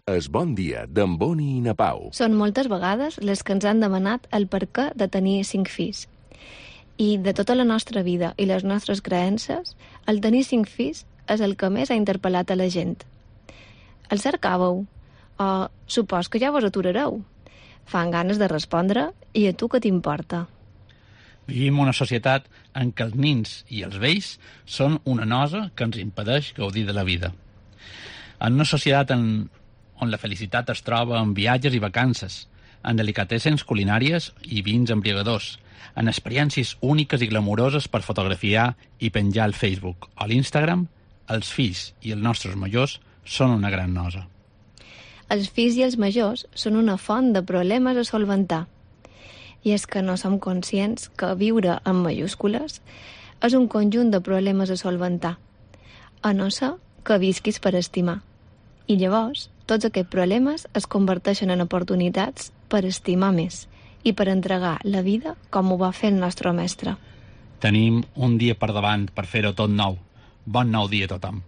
Es Bon Dia, d'en Boni i na Pau. Són moltes vegades les que ens han demanat el perquè de tenir 5 fills. I de tota la nostra vida i les nostres creences, el tenir 5 fills és el que més ha interpel·lat a la gent. El cercàveu? O supos que ja vos aturareu? Fan ganes de respondre i a tu què t'importa? Vivim una societat en què els nins i els vells són una nosa que ens impedeix gaudir de la vida. En una societat on la felicitat es troba en viatges i vacances, en delicatessens culinàries i vins embriagadors, en experiències úniques i glamuroses per fotografiar i penjar al Facebook o l'Instagram, els fills i els nostres majors són una gran nosa. Els fills i els majors són una font de problemes a solventar. I és que no som conscients que viure en majúscules és un conjunt de problemes a solventar, a no ser que visquis per estimar. I llavors, tots aquests problemes es converteixen en oportunitats per estimar més i per entregar la vida com ho va fer el nostre mestre. Tenim un dia per davant per fer-ho tot nou. Bon nou dia a tothom.